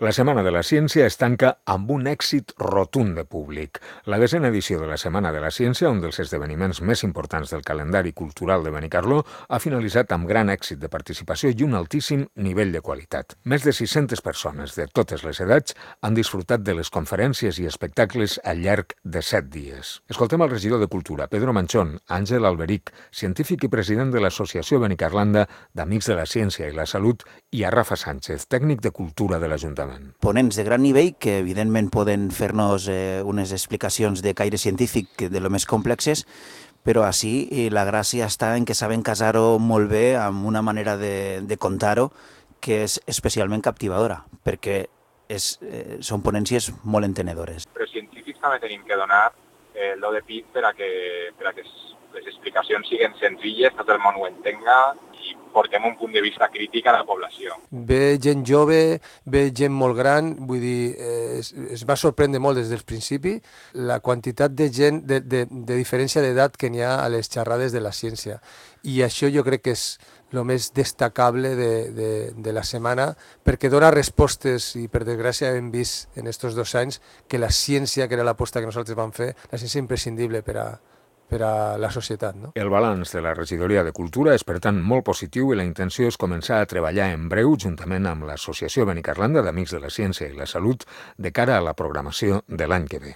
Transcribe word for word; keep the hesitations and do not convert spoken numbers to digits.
La Setmana de la Ciència es tanca amb un èxit rotund de públic. La desena edició de la Setmana de la Ciència, un dels esdeveniments més importants del calendari cultural de Benicarló, ha finalitzat amb gran èxit de participació i un altíssim nivell de qualitat. Més de sis-centes persones de totes les edats han disfrutat de les conferències i espectacles al llarg de set dies. Escoltem el regidor de Cultura, Pedro Manchón, Àngel Alberic, científic i president de l'Associació Benicarlanda d'Amics de la Ciència i la Salut, i a Rafa Sánchez, tècnic de Cultura de l'Ajuntament. Ponents de gran nivell que evidentment poden fer-nos eh, unes explicacions de caire científic de lo més complexes, però així la gràcia està en que saben casar-ho molt bé amb una manera de, de contar-ho que és especialment captivadora, perquè és, eh, són ponències molt entenedores. Però científics també tenim que donar eh, el do de pit per a que, per a que les explicacions siguin senzilles, tot el món ho entenga i portem un punt de vista crític a la població. Ve gent jove, ve gent molt gran, vull dir, eh, es, es va sorprendre molt des del principi la quantitat de gent, de, de, de diferència d'edat que n'hi ha a les xerrades de la ciència. I això jo crec que és el més destacable de, de, de la setmana, perquè dona respostes, i per desgràcia hem vist en aquests dos anys que la ciència, que era l'aposta que nosaltres vam fer, la ciència és imprescindible per a per a la societat. No? El balanç de la regidoria de Cultura és, per tant, molt positiu i la intenció és començar a treballar en breu juntament amb l'Associació Benicarlanda d'Amics de la Ciència i la Salut de cara a la programació de l'any que ve.